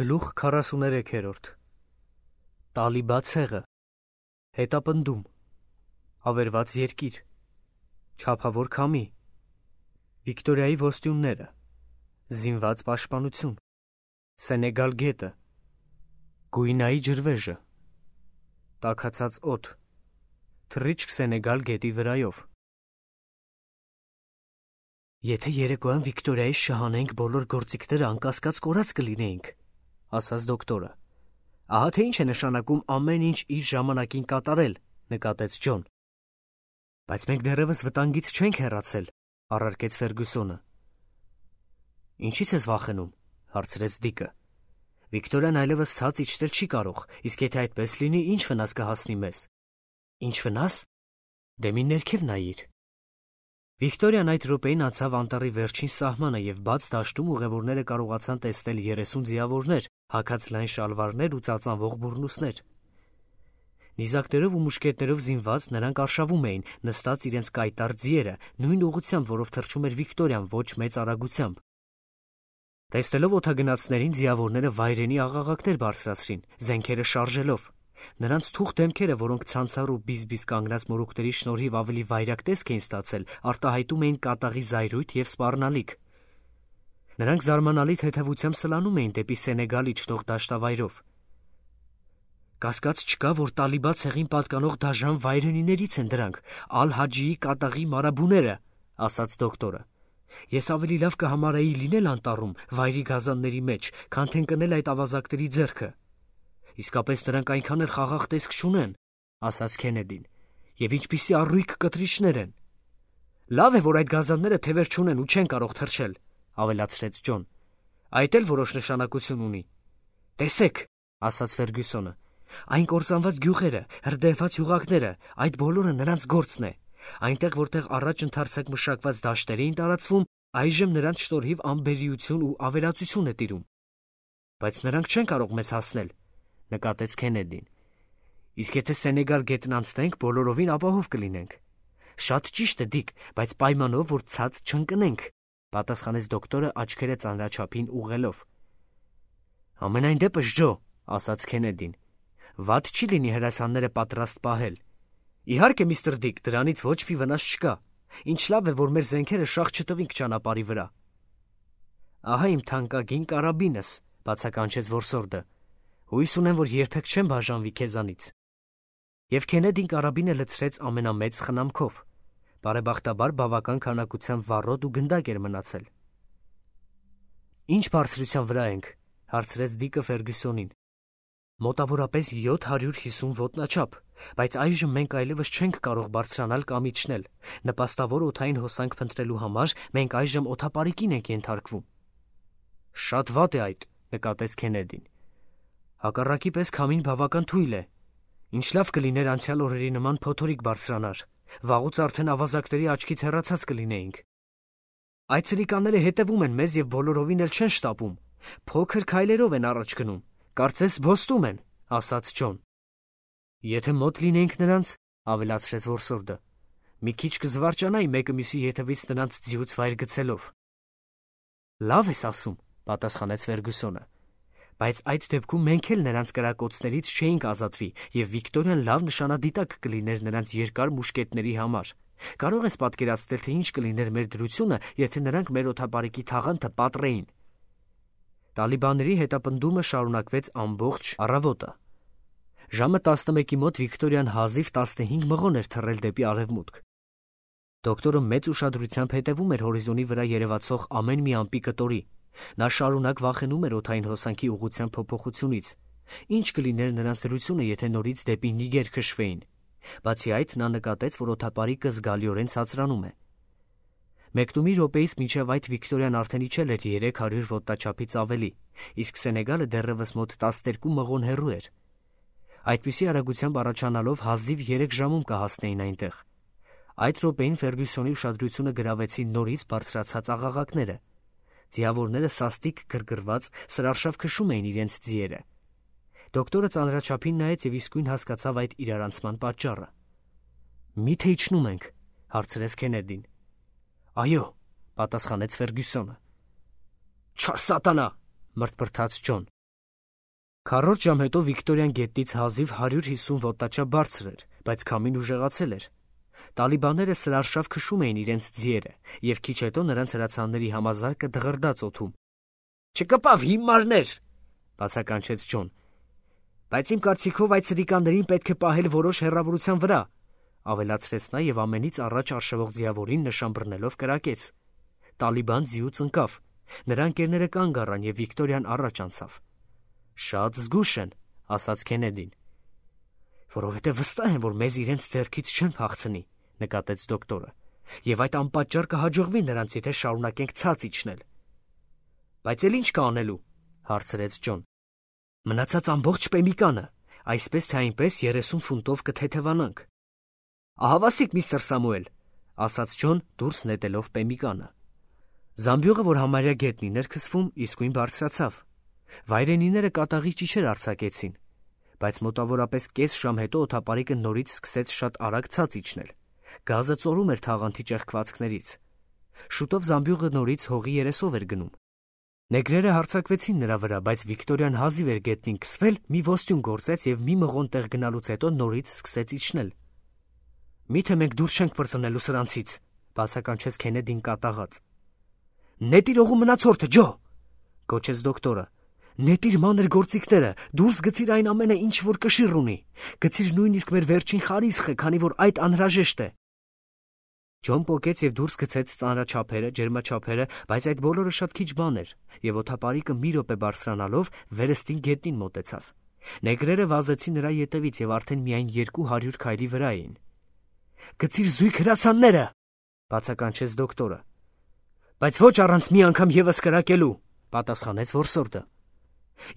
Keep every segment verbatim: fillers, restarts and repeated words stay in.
Գլուխ քառասուներեքերորդ Տալիբա ցեղը Հետապնդում Ավերված երկիր Չափավոր քամի Վիկտորիայի ոստյունները Զինված պաշտպանություն Սենեգալ գետը Գույնայի ջրվեժը Տաքացած օդ Թռիչք Սենեգալ գետի վրայով Եթե երեկոյան Վիկտորիայի շահանենք բոլոր գործիքները անկասկած կորած կլինեինք, ասաց դոկտորը։ Ահա թե ինչ է նշանակում ամեն ինչ իր ժամանակին կատարել, նկատեց Ջոն։ Բայց մենք դեռևս վտանգից չենք հեռացել, առարկեց Ֆերգուսոնը։ Ինչի՞ց ես վախենում, հարցրեց Դիկը։ Վիկտորիան այլևս ցած իջնել չի կարող, իսկ եթե այդպես լինի, ինչ վնաս կհասնի մեզ։ Ինչ վնաս։ Դե մի ներքև նայիր։ Վիկտորիան այդ րոպեին անցավ անտառի վերջին սահմանը և բաց դաշտում ուղևորները կարողացան տեսնել երեսուն ձիավորներ, հագած լայն շալվարներ ու ծածանվող բուռնուսներ։ Նիզակներով ու մուշկետներով զինված նրանք արշավում էին, նստած իրենց կայտառ ձիերը, նույն ուղղությամբ, որով թռչում էր Վիկտորիան ոչ մեծ արագությամբ։ Տեսնելով օդագնացներին ձիավորները վայրենի աղաղակներ բարձրացրին, զենքերը շարժելով։ Նրանց թուխ դեմքերը, որոնք ցանցառ ու բիզբիզ կանգնած մորուքների շնորհիվ ավելի վայրագ տեսք էին ստացել, արտահայտում էին կատաղի զայրույթ և սպառնալիք։ Նրանք զարմանալի թեթևությամբ սլանում էին դեպի Սենեգալ իջնող դաշտավայրով։ Կասկած չկա, որ Տալիբա ցեղին պատկանող դաժան վայրենիներից են դրանք, Ալ-Հաջիի կատաղի մարաբուները, ասաց դոկտորը։ Ես ավելի լավ կհամարեի լինել անտառում, վայրի գազանների մեջ, քան թե ընկնել այդ ավազակների ձեռքը։ Իսկապես նրանք այնքան էլ խաղաղ տեսք չունեն, ասաց Քենեդին, և ինչպիսի առույգ կտրիչներ են։ Լավ է, որ այդ գազանները թևեր չունեն ու չեն կարող թռչել, ավելացրեց Ջոն։ Այդ էլ որոշ նշանակություն ունի։ Տեսեք, ասաց Ֆերգուսոնը, այն կործանված գյուղերը, հրդեհված յուղակները, այդ բոլորը նրանց գործն է։ Այնտեղ, որտեղ առաջ ընդարձակ մշակված դաշտեր էին տարածվում, այժմ նրանց շնորհիվ անբերիություն ու ավերածություն է տիրում։ Բայց նրանք չեն կարող մեզ հասնել, նկատեց Քենեդին։ Իսկ եթե Սենեգալ գետն անցնենք, բոլորովին ապահով կլինենք։ Շատ ճիշտ է, Դիկ, բայց պայմանով, որ ցած չընկնենք, պատասխանեց դոկտորը աչքերը ծանրաչափին ուղղելով։ Ամենայն դեպս, Ջո, ասաց Քենեդին, վատ չի լինի հրացանները պատրաստ պահել։ Իհարկե, միստր Դիկ, դրանից ոչ մի վնաս չկա։ Ինչ լավ է, որ մեր զենքերը շաղ չտվինք ճանապարհի վրա։ Ահա իմ թանկագին կարաբինս, բացականչեց որսորդը։ Հույս ունեմ, որ երբեք չեմ բաժանվի քեզանից։ Եվ Քենեդին կարաբինը լցրեց ամենամեծ խնամքով։ Բարեբախտաբար բավական քանակությամբ վառոդ ու գնդակ էր մնացել։ Ինչ բարձրության վրա ենք, հարցրեց Դիկը Ֆերգուսոնին։ Մոտավորապես յոթ հարյուր հիսուն ոտնաչափ, բայց այժմ մենք այլևս չենք կարող բարձրանալ կամ իջնել։ Նպաստավոր օդային հոսանք փնտրելու համար մենք այժմ օդապարիկին ենք ենթարկվում։ Շատ վատ է այդ, նկատեց Քենեդին։ Հակառակի պես քամին բավական թույլ է։ Ինչ լավ կլիներ անցյալ օրերի նման փոթորիկ բարձրանար։ Վաղուց արդեն ավազակների աչքից հեռացած կլինեինք։ Այդ ցրիկանները հետևում են մեզ և բոլորովին էլ չեն շտապում։ Փոքր քայլերով են առաջ գնում։ Կարծես զբոստում են, ասաց Ջոն։ Եթե մոտ լինեինք նրանց, ավելացրեց որսորդը, մի քիչ կզվարճանայի մեկը մյուսի ետևից նրանց ձիուց վայր գցելով։ Լավ ես ասում, պատասխանեց Ֆերգուսոնը։ Բայց այդ դեպքում մենք էլ նրանց կրակոցներից չէինք ազատվի, և Վիկտորիան լավ նշանադիտակ կլիներ նրանց երկար մուշկետների համար։ Կարող ես պատկերացնել, թե ինչ կլիներ մեր դրությունը, եթե նրանք մեր օդապարիկի թաղանթը պատռեին։ Տալիբաների հետապնդումը շարունակվեց ամբողջ առավոտը։ Ժամը տասնմեկի մոտ Վիկտորիան հազիվ տասնհինգ մղոն էր թռել դեպի արևմուտք։ Դոկտորը մեծ ուշադրությամբ հետևում էր հորիզոնի վրա երևացող ամեն մի ամպի կտորի։ Նա շարունակ վախենում էր օդային հոսանքի ուղղության փոփոխությունից։ Ինչ կլիներ նրանց դրությունը, եթե նորից դեպի Նիգեր քշվեին։ Բացի այդ, նա նկատեց, որ օդապարիկը զգալիորեն ցածրանում է։ Մեկնումի րոպեից մինչև այդ Վիկտորիան արդեն իջել էր երեք հարյուր ոտնաչափից ավելի, իսկ Սենեգալը դեռևս մոտ տասներկու մղոն հեռու էր։ Այդպիսի արագությամբ առաջանալով հազիվ երեք ժամում կհասնեին այնտեղ։ Այդ րոպեին Ֆերգուսոնի ուշադրությունը գրավեցին նորից բարձրացած աղաղակները։ Ձիավորները սաստիկ գրգռված սրարշավ քշում էին իրենց ձիերը։ Դոկտորը ծանրաչափին նայեց և իսկույն հասկացավ այդ իրարանցման պատճառը։ Մի՞թե իջնում ենք, հարցրեց Քենեդին։ Այո, պատասխանեց Ֆերգուսոնը։ Չար սատանա, մրթմրթաց Ջոն։ Քառորդ ժամ հետո Վիկտորիան գետնից հազիվ հարյուր հիսուն ոտնաչափ բարձր էր, բայց քամին ուժեղացել էր։ Տալիբանները սրարշավ քշում էին իրենց ձիերը, եւ քիչ հետո նրանց հրացանների համազարկը դղրդաց օդում։ «Չկպավ հիմարներ», բացականչեց Ջոն։ «Բայց իմ կարծիքով այդ սրիկաներին պետք է պահել որոշ հեռավորության վրա», ավելացրեց նա եւ ամենից առաջ արշավող ձիավորին նշան բռնելով կրակեց։ Տալիբան ձիուց ընկավ։ Նրա ընկերները կանգ առան եւ Վիկտորիան առաջ անցավ։ «Շատ զգուշ են», ասաց Քենեդին։ «Որովհետեւ վստահ են, որ մեզ իրենց ձեռքից չեն փախցնի», նկատեց դոկտորը, «եւ այդ անպատճառ կհաջողվի նրանց, եթե շարունակենք ցած իջնել»։ «Բայց էլ ինչ կա անելու», հարցրեց Ջոն։ «Մնացած ամբողջ պեմիկանը, այսպես թե այնպես երեսուն ֆունտով կթեթևանանք»։ «Ահավասիկ, միստր Սամուել», ասաց Ջոն դուրս նետելով պեմիկանը։ Զամբյուղը, որ համարյա գետնին էր քսվում, իսկույն բարձրացավ։ Վայրենիները կատաղի ճիչեր արձակեցին, բայց մոտավորապես կես ժամ հետո օդապարիկը նորից սկսեց շատ արագ ցած իջնել։ Գազը ծորում էր թաղանթի ճեղքվածքներից։ Շուտով զամբյուղը նորից հողի երեսով էր գնում։ Նեգրերը հարձակվեցին նրա վրա, բայց Վիկտորիան հազիվ էր գետնին քսվել, մի ոստյուն գործեց եւ մի մղոն տեղ գնալուց հետո նորից սկսեց իջնել։ «Միթե մենք դուրս չենք պրծնելու սրանցից», բացականչեց Քենեդին կատաղած։ «Նետիր օղու մնացորդը, Ջո», գոչեց դոկտորը։ «Նետիր մանր գործիքները, դուրս գցիր այն ամենը, ինչ որ կշիռ ունի։ Գցիր նույնիսկ մեր վերջին խարիսխը, քանի որ այդ անհրաժեշտ է»։ Ջոն պոկեց եւ դուրս գցեց ծանրաչափերը, ջերմաչափերը, բայց այդ բոլորը շատ քիչ բան էր, եւ օդապարիկը մի րոպե բարձրանալով վերստին գետնին մոտեցավ։ Նեգրերը վազեցին նրա ետևից եւ արդեն միայն երկու հարյուր քայլի վրա էին։ «Գցիր զույգ հրացանները», բացականչեց դոկտորը։ «Բայց ոչ առանց մի անգամ եւս կրակելու», պատասխանեց որսորդը։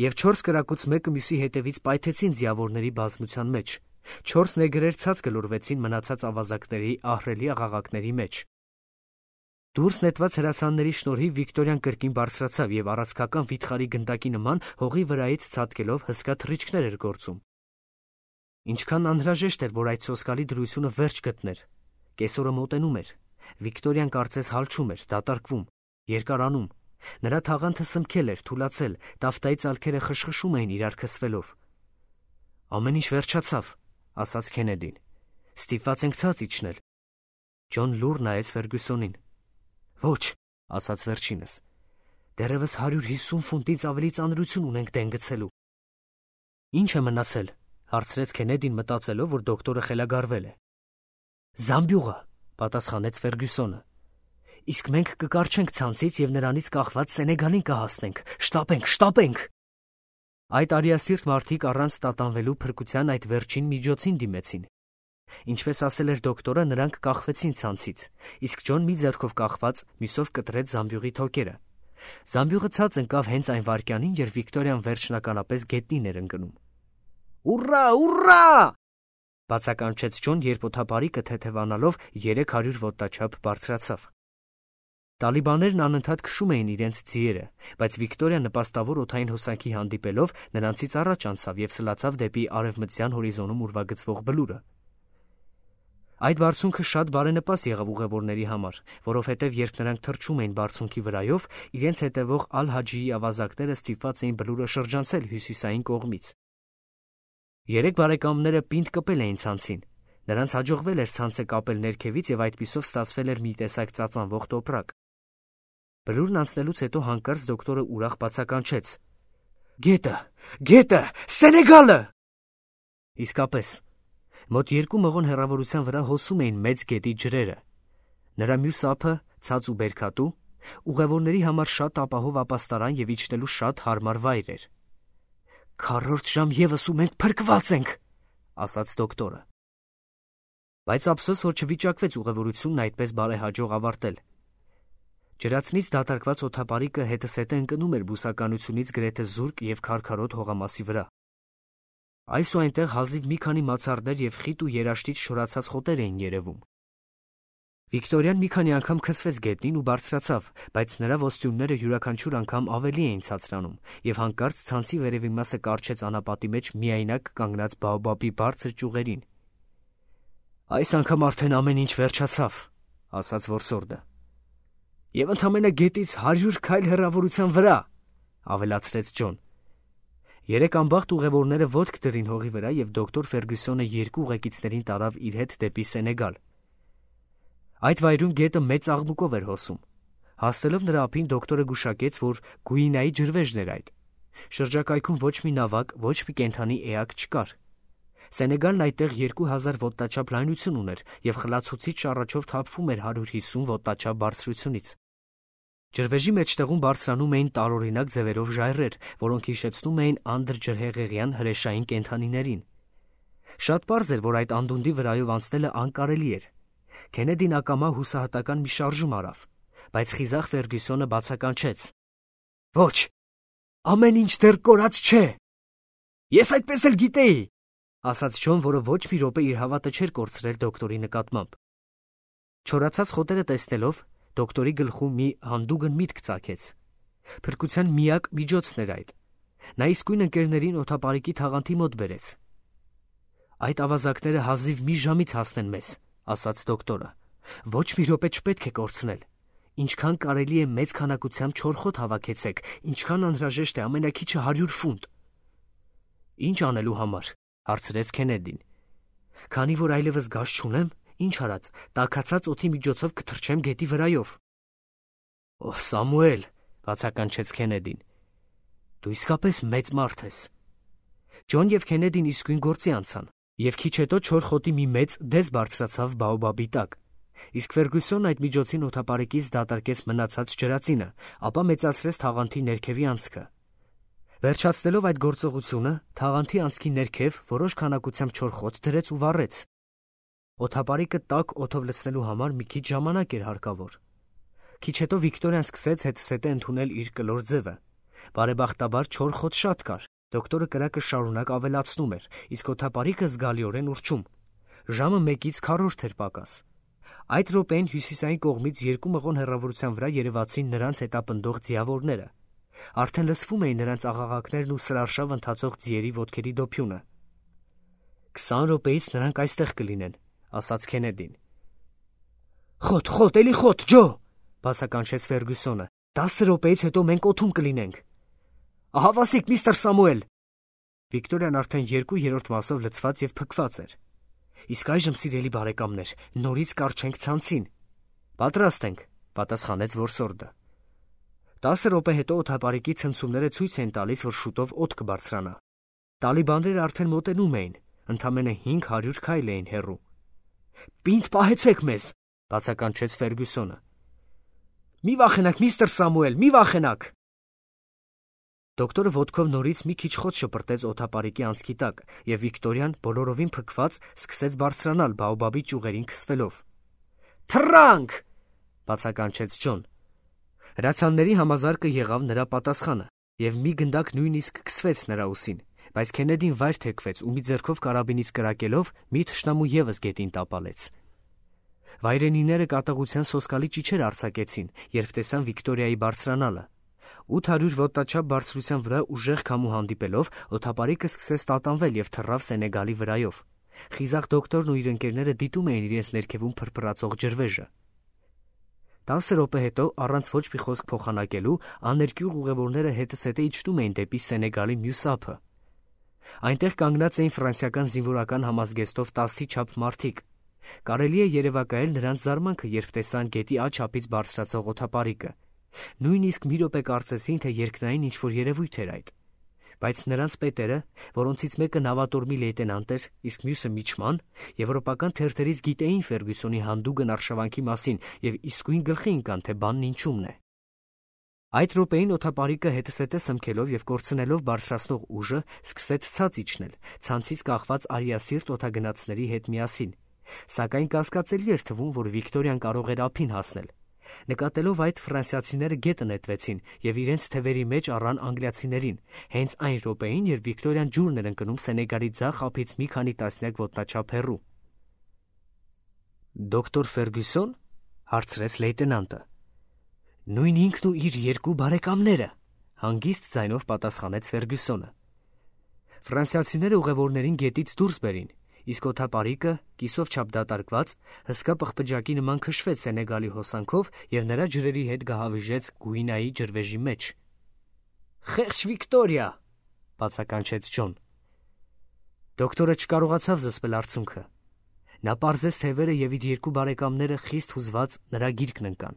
Եվ չորս կրակուց մեկը մյուսի հետևից պայթեցին ձիավորների բազմության մեջ։ Չորս նեգրեր ցած գլորվեցին մնացած ավազակների ահռելի աղաղակների մեջ։ Դուրս նետված հրացանների շնորհիվ Վիկտորիան կրկին բարձրացավ եւ առածքական վիթխարի գնդակի նման հողի վրայից ցատկելով հսկա թռիչքներ էր գործում։ Ինչքան անհրաժեշտ էր, որ այդ սոսկալի դրությունը վերջ գտներ։ Կեսօրը մոտենում էր։ Վիկտորիան կարծես հալչում էր, դատարկվում, երկարանում։ Նրա թաղանթը սմքել էր, թուլացել, տաֆտայի ծալքերը խշխշում էին իրար քսվելով։ «Ամեն ինչ վերջացավ», ասաց Քենեդին։ «Ստիպված ենք ցած իջնել»։ Ջոն լուռ նայեց Ֆերգյուսոնին։ «Ոչ», ասաց վերջինս, «դեռևս հարյուր հիսուն ֆունտից ավելի ծանրություն ունենք դեն գցելու»։ «Ինչ է մնացել», հարցրեց Քենեդին, մտածելով, որ դոկտորը խելագարվել է։ «Զամբյուղը», պատասխանեց Ֆերգյուսոնը։ «Իսկ մենք կկարչենք ցանցից եւ նրանից կախված Սենեգալին կհասնենք։ Շտապենք, շտապենք»։ Այդ արիասիրտ մարդիկ առանց տատանվելու փրկության այդ վերջին միջոցին դիմեցին։ Ինչպես ասել էր դոկտորը, նրանք կախվեցին ցանցից, իսկ Ջոն մի ձեռքով կախված, մյուսով կտրեց զամբյուղի թոքերը։ Զամբյուղը ցած ընկավ հենց այն վայրկյանին, երբ Վիկտորիան վերջնականապես գետնին էր ընկնում։ «Ուռա, ուռա», բացականչեց Ջոն, երբ օդապարիկը թեթևանալով երեք հարյուր ոտնաչափ բարձրացավ։ Տալիբաներն անընդհատ քշում էին իրենց ձիերը, բայց Վիկտորիան նպաստավոր օդային հոսանքի հանդիպելով նրանցից առաջ անցավ եւ սլացավ դեպի արևմտյան հորիզոնում ուրվագծվող բլուրը։ Այդ բարձունքը շատ բարենպաստ եղավ ուղևորների համար, որովհետեւ երբ նրանք թռչում էին բարձունքի վրայով, իրենց հետևող Ալ-Հաջիի ավազակները ստիպված էին բլուրը շրջանցել հյուսիսային կողմից։ Երեք բարեկամները պինդ կպել էին ցանցին։ Նրանց հաջողվել էր ցանցը կապել ներքևից եւ այդպիսով ստացվել էր մի տեսակ ծածանվող տոպրակ։ Բլուրն անցնելուց հետո հանկարծ դոկտորը ուրախ բացականչեց. «Գետը, գետը, Սենեգալը»։ Իսկապես, մոտ երկու մղոն հեռավորության վրա հոսում էին մեծ գետի ջրերը։ Նրա մյուս ափը, ցած ու բերքատու, ուղևորների համար շատ ապահով ապաստարան եւ իջնելու շատ հարմար վայր էր։ «Քառորդ ժամ եւս ու մենք փրկված ենք», ասաց դոկտորը։ Բայց ափսոս, որ չվիճակվեց ուղևորությունն այդպես բարեհաջող ավարտել։ Ջրացնից դատարկված օդապարիկը հետսետը ընկնում էր բուսականությունից գրեթե զուրկ եւ քարքարոտ հողամասի վրա։ Այս ու այնտեղ հազիվ մի քանի մացառներ եւ խիտ ու երաշտից շորացած խոտեր էին երևում։ Վիկտորիան մի քանի անգամ քսվեց գետնին ու բարձրացավ, բայց նրա ոստյունները յուրաքանչյուր անգամ ավելի էին ցածրանում, եւ հանկարծ ցանցի վերևի մասը կարճեց անապատի մեջ միայնակ կանգնած բաոբաբի բարձր ճյուղերին։ «Այս անգամ արդեն ամեն ինչ վերջացավ», ասաց որսորդը։ «Եվ ընդամենը գետից հարյուր քայլ հեռավորության վրա», ավելացրեց Ջոն։ Երեք ամբախտ ուղևորները ոտք դրին հողի վրա և դոկտոր Ֆերգյուսոնը երկու ուղեկիցներին տարավ իր հետ դեպի Սենեգալ։ Այդ վայրում գետը մեծ աղմուկով էր հոսում։ Հասնելով նրա ափին դոկտորը գուշակեց, որ Գուինայի ջրվեժն էր այդ։ Շրջակայքում ոչ մի նավակ, ոչ մի կենդանի էակ չկար։ Սենեգալն այդտեղ երկու հազար ոտնաչափ լայնություն ուներ և խլացուցիչ շառաչով թափվում էր հարյուր հիսուն ոտնաչափ բարձրությունից։ Ջրվեժի մեջտեղում բարձրանում էին տարօրինակ ձևերով ժայռեր, որոնք հիշեցնում էին անդրջրհեղեղյան հրեշային կենդանիներին։ Շատ պարզ էր, որ այդ անդունդի վրայով անցնելը անկարելի էր։ Քենեդին ակամա հուսահատական մի շարժում արավ, բայց խիզախ Ֆերգյուսոնը բացականչեց. «Ոչ, ամեն ինչ դեռ կորած չէ»։ «Ես այդպես էլ գիտեի», ասաց Ջոն, որը ոչ մի րոպե իր հավատը չէր կորցրել դոկտորի նկատմամբ։ Չորացած խոտերը տեսնելով, դոկտորի գլխում մի հանդուգն միտք ծագեց։ Փրկության միակ միջոցն էր այդ։ Նա իսկույն ընկերներին օդապարիկի թաղանթի մոտ բերեց։ «Այդ ավազակները հազիվ մի ժամից հասնեն մեզ», ասաց դոկտորը։ «Ոչ մի րոպե չպետք է կորցնել։ Ինչքան կարելի է մեծ քանակությամբ չոր խոտ հավաքեցեք, ինչքան անհրաժեշտ է ամենաքիչը հարյուր ֆունտ»։ «Ինչ անելու համար», հարցրեց Քենեդին։ «Քանի որ այլևս գազ չունեմ, ինչ արած, տաքացած օդի միջոցով կթռչեմ գետի վրայով»։ «Օ, Սամուել», բացականչեց Քենեդին, «դու իսկապես մեծ մարդ ես»։ Ջոն և Քենեդին իսկույն գործի անցան, և քիչ հետո չոր խոտի մի մեծ դես բարձրացավ բաոբաբի տակ, իսկ Ֆերգյուսոնն այդ միջոցին օդապարիկից դատարկեց մնացած ջրածինը, ապա մեծացրեց թաղանթի ներքևի անցքը։ Վերջացնելով այդ գործողությունը, թաղանթի անցքի ներքև որոշ քանակությամբ չոր խոտ դրեց ու վառեց։ Օդապարիկը տաք օդով լցնելու համար մի քիչ ժամանակ էր հարկավոր։ Քիչ հետո Վիկտորիան սկսեց հետզհետե ընդունել իր կլոր ձևը։ Բարեբախտաբար չոր խոտ շատ կար, դոկտորը կրակը շարունակ ավելացնում էր, իսկ օդապարիկը զգալիորեն ուռչում։ Ժամը մեկից քառորդ էր պակաս։ Այդ րոպեին հյուսիսային կողմից երկու մղոն հեռավորության վրա երևացին նրանց հետապնդող ձիավորները։ Արդեն լսվում էին նրանց աղաղակներն ու սրարշավ ընթացող ձիերի ոտքերի դոփյունը։ «Քսան րոպեից նրանք այստեղ կլինեն», ասաց Քենեդին։ «Խոտ, խոտ, էլի խոտ, Ջո», բացականչեց Ֆերգյուսոնը։ «Տասը րոպեից հետո մենք օդում կլինենք»։ «Ահա վասիկ, միստր Սամուել»։ Վիկտորիան արդեն երկու երրորդ մասով լցված և փքված էր։ «Իսկ այժմ, սիրելի բարեկամներ, նորից կառչենք ցանցին»։ «Պատրաստ ենք», պատասխանեց որսորդը։ Տասը րոպե հետո օդապարիկի ցնցումները ցույց էին տալիս, որ շուտով օդ կբարձրանա։ Տալիբանները արդեն մոտենում էին, ընդամենը հինգ հարյուր քայլ էին հեռու։ «Պինդ պահեցեք մեզ», բացականչեց Ֆերգյուսոնը։ «Մի վախենաք, միստր Սամուել, մի վախենաք»։ Դոկտորը ոտքով նորից մի քիչ խոտ շպրտեց օդապարիկի անցքի տակ, և Վիկտորիան, բոլորովին փքված, սկսեց բարձրանալ բաոբաբի ճյուղերին քսվելով։ «Թռա՜նք», բացականչեց Ջոն։ Հրացանների համազարկը եղավ նրա պատասխանը, և մի գնդակ նույնիսկ քսվեց նրա ուսին, բայց Քենեդին վայր թեքվեց ու մի ձեռքով կարաբինից կրակելով մի թշնամու ևս գետին տապալեց։ Վայրենիները կատաղության սոսկալի ճիչեր արձակեցին, երբ տեսան Վիկտորիայի բարձրանալը։ Ութ հարյուր ոտնաչափ բարձրության վրա ուժեղ քամու հանդիպելով, օդապարիկը սկսեց տատանվել և թռավ Սենեգալի վրայով։ Խիզախ դոկտորն ու իր ընկերները դիտում էին իրենց ներքևում փրփրացող ջրվեժը։ Տասը րոպե հետո, առանց ոչ մի խոսք փոխանակելու, աներկյուղ ուղևորները հետզհետե իջնում էին դեպի Սենեգալի մյուս ափը։ Այնտեղ կանգնած էին ֆրանսիական զինվորական համազգեստով տասի չափ մարդիկ։ Կարելի է երևակայել նրանց զարմանքը, երբ տեսան գետի աջ ափից բարձրացող օդապարիկը։ Նույնիսկ մի րոպե կարծեցին, թե երկնային ինչ-որ երևույթ էր այդ։ Բայց նրանց պետերը, որոնցից մեկը նավատորմի լեյտենանտ էր, իսկ մյուսը միչման, եվրոպական թերթերից գիտեին Ֆերգյուսոնի հանդուգն արշավանքի մասին և իսկույն գլխի ընկան, թե բանն ինչումն է։ Այդ րոպեին օդապարիկը հետզհետե սմքելով և կորցնելով բարձրացնող ուժը, սկսեց ցած իջնել, ցանցից կախված արիասիրտ օդագնացների հետ միասին։ Սակայն կասկածելի էր թվում, որ Վիկտորիան կարող էր ափին հասնել։ Նկատելով այդ, ֆրանսիացիները գետը նետվեցին և իրենց թևերի մեջ առան անգլիացիներին, հենց այն րոպեին, երբ Վիկտորիան ջուրն էր ընկնում Սենեգալի ձախ ափից մի քանի տասնյակ ոտնաչափ հեռու։ «Դոկտոր Ֆերգյուսո՞ն», հարցրեց լեյտենանտը։ «Նույն ինքն ու իր երկու բարեկամները», հանգիստ ձայնով պատասխանեց Ֆերգյուսոնը։ Ֆրանսիացիները ուղևորներին գետից դուրս բերին, իսկ օդապարիկը, կիսով չափ դատարկված, հսկա պղպջակի նման քշվեց Սենեգալի հոսանքով և նրա ջրերի հետ գահավիժեց Գուինայի ջրվեժի մեջ։ «Խեղճ Վիկտորիա», բացականչեց Ջոն։ Դոկտորը չկարողացավ զսպել արցունքը։ Նա պարզեց թևերը և իր երկու բարեկամները խիստ հուզված նրա գիրկն ընկան։